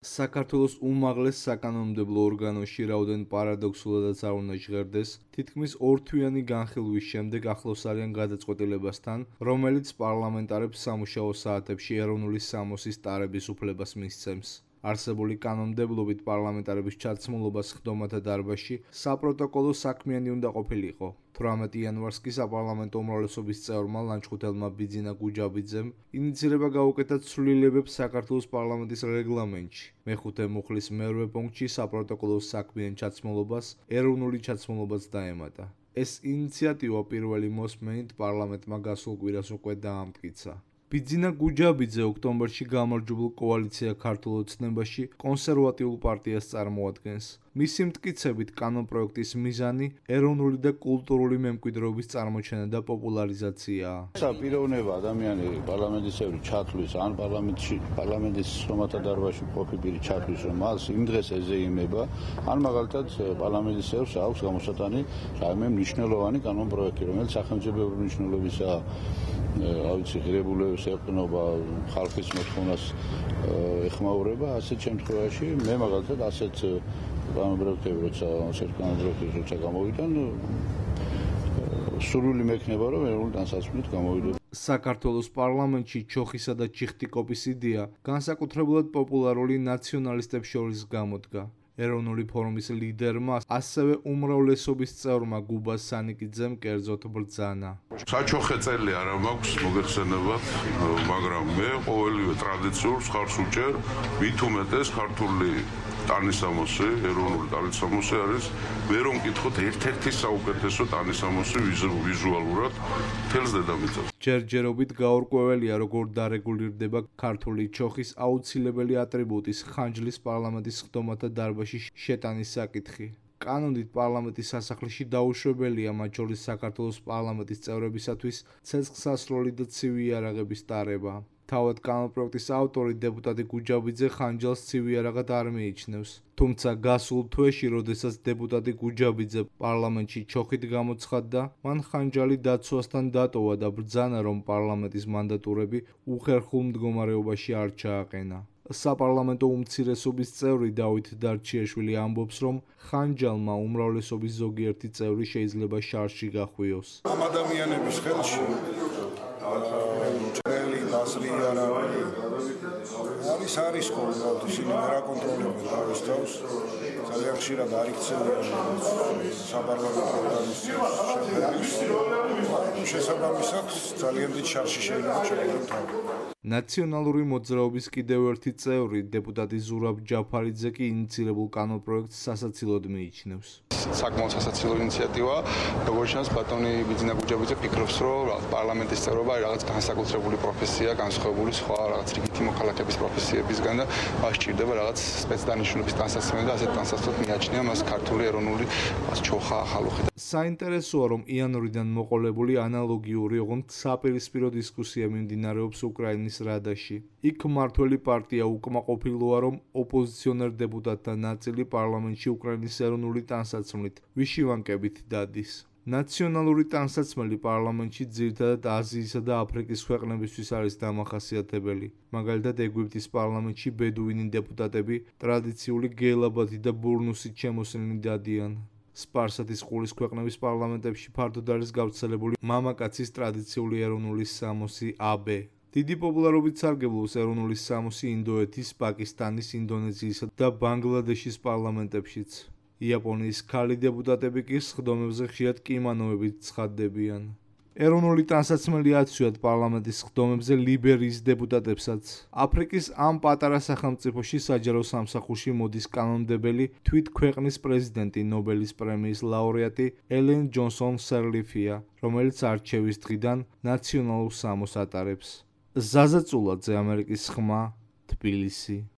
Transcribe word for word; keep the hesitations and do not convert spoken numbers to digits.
საქართველოს უმაღლეს საკანონმდებლო ორგანოში რაოდენ პარადოქსულადაც არ უნდა ჟღერდეს, თითქმის ორთვიანი განხილვის შემდეგ ახლოს არიან გადაწყვეტილებასთან, რომელიც პარლამენტარებს სამუშაო საათებში ეროვნული სამოსის ტარების უფლებას მისცემს. არსებული კანონმდებლობით პარლამენტარების ჩაცმულობა სხდომათა დარბაზში საპროტოკოლო საქმიანი უნდა ყოფილიყო. თვრამეტი იანვარს კი საპარლამენტო უმრავლესობის წევრმა ლანჩხუთელმა ბიძინა გუჯაბიძემ ინიცირება გაუკეთა ცვლილებებს საქართველოს პარლამენტის რეგლამენტში. მეხუთე მუხლის მერვე პუნქტში საპროტოკოლო საქმიან ჩაცმულობას ეროვნული ჩაცმულობაც დაემატა. ეს ინიციატივა პირველი მოსმენით პარლამენტმა გასულ კვირას უკვე დაამტკიცა. ბიძინა გუჯაბიძე ოქტომბერში გამარჯვებულ კოალიცია ქართულ ოცნებაში კონსერვატიულ პარტიას წარმოადგენს. მისი მტკიცებით კანონპროექტის მიზანი ეროვნული და კულტურული მემკვიდრეობის წარმოჩენა და პოპულარიზაციაა. პიროვნება ადამიანი პარლამენტის წევრი ჩათვლის ან პარლამენტში პარლამენტის სხდომათა დარბაზში მყოფი პირი ჩათვლის, რომ მას იმ დღეს ეზეიმება, ან მაგალითად პარლამენტის წევრს აქვს გამოსატანი რაიმე მნიშვნელოვანი კანონპროექტი, რომელიც სახელმწიფოებრივი მნიშვნელობისაა. ავიცი ღირებულებებს ეყნობა, ხალხის მოთხოვნას ეხმაურება, ასეთ შემთხვევაში მე მაგალითად ასეთ კანონპროექტები როცა ასეთ კანონპროექტებს როცა გამოვიდნენ, სურვილი მექნება რომ ეროვნული ტანსაცმლით გამოვიდოდეს. საქართველოს პარლამენტში ჩოხისა და ჩიხტიკოპის იდეა განსაკუთრებულად პოპულარული ნაციონალისტებს შორის გამოდგა. ეროვნული ფორუმის ლიდერმა, ასევე უმრავლესობის წევრმა გუბა სანიკიძემ კერძოდ ბრძანა. საჩოხე წელი არა მაქვს მოგეხსენებათ, მაგრამ მე ყოველივე ტრადიციულს ხარს უჭერ, მით უმეტეს ქართული ტანისამოსი, ეროვნული ტანისამოსი არის, მე რომ მკითხოთ ერთ-ერთი საუკეთესო ტანისამოსი ვიზუალურად მთელს დედამიწაზე. ჯერჯერობით გაურკვეველია, როგორ დარეგულირდება ქართული ჩოხის აუცილებელი ატრიბუტის ხანჯლის პარლამენტის სხდომათა დარბაზში შეტანის საკითხი. კანონით პარლამენტის სასახლეში დაუშვებელია მათ შორის საქართველოს პარლამენტის წევრებისათვის ცეცხლსასროლი და ცივი იარაღების ტარება. თავად კანონპროექტის ავტორი დეპუტატი გუჯაბიძე ხანჯალს ცივი იარაღად არ მიიჩნევს. თუმცა გასულ თვეში, როდესაც დეპუტატი გუჯაბიძე პარლამენტში ჩოხით გამოცხადდა, მან ხანჯალი დაცვასთან დატოვა და ბრძანა, რომ პარლამენტის მანდატურები უხერხულ მდგომარეობაში არ ჩააყენა. საპარლამენტო უმცირესობის წევრი დავით დარჩიაშვილი ამბობს, რომ ხანჯალმა უმრავლესობის ზოგიერთი წევრი შეიძლება შარში გახვიოს. ამ ადამიანების ხელში ჭრელი დასლი არა არის არის კონტროლი, ისინი ვერ აკონტროლებენ თავის თავს. ძალიან ხშირად არ იქცევიან საპარლამენტო ორგანიზაციებს შეფერილს. შესაბამისად, ძალიან დიდ შარში შეიძლება ჩაიგდონ თავი. ნაციონალური მოძრაობის კიდევ ერთი წევრი, დეპუტატი ზურაბ ჯაფარიძე კი ინიცირებულ კანონპროექტს სასაცილოდ მიიჩნევს. საკმაოდ სასაცილო ინიციატივა, როგორც ჩანს, ბატონი ბიძინა გუჯაბიძე ფიქრობს, რომ პარლამენტის წევრობა არის რაღაც განსაკუთრებული პროფესია, განსხვავებული სხვა რაღაც რიგითი მოქალაქეების პროფესიებისგან და მას სჭირდება რაღაც სპეცდანიშნულების ტანსაცმელი და ასეთ ტანსაცმლად მიაჩნია მას ქართული ეროვნული ჩოხა ახალუხი. საინტერესოა, რომ იანვრიდან მოყოლებული ანალოგიური, ოღონდ საპირისპირო დისკუსია მიმდინარეობს უკრაინის რადაში. იქ მმართველი პარტია უკმაყოფილოა, რომ ოპოზიციონერ დეპუტატთა ნაწილი პარლამენტში უკრაინის ეროვნული ტანსაცმლით ვიშივანკებით დადის. ნაციონალური ტანსაცმელი პარლამენტში ძირითადად აზიისა და აფრიკის ქვეყნებისთვის არის დამახასიათებელი. მაგალითად, ეგვიპტის პარლამენტში ბედუინი დეპუტატები ტრადიციული გელაბათი და ბურნუსით შემოსილნი დადიან. სპარსეთის ყურის ქვეყნების პარლამენტებში ფართოდ არის გავრცელებული მამაკაცის ტრადიციული ეროვნული სამოსი აბე. დიდი პოპულარობით სარგებლობს ეროვნული სამოსი ინდოეთის, პაკისტანის, ინდონეზიისა და ბანგლადეშის პარლამენტებშიც. იაპონიის ქალი დეპუტატები კი სხდომებზე ხშირად კიმანოებით ცხადდებიან. ეროვნული ტანსაცმელი აცვიათ პარლამენტის სხდომებზე ლიბერიის დეპუტატებსაც. აფრიკის ამ პატარა სახელმწიფოში საჯარო სამსახურში მოდის კანონმდებელი თვით ქვეყნის პრეზიდენტი, ნობელის პრემიის ლაურეატი ელენ ჯონსონ სერლიფია, რომელიც არჩევის დღიდან ნაციონალურ სამოს ატარებს. ზაზა წულაძე, ამერიკის ხმა, თბილისი.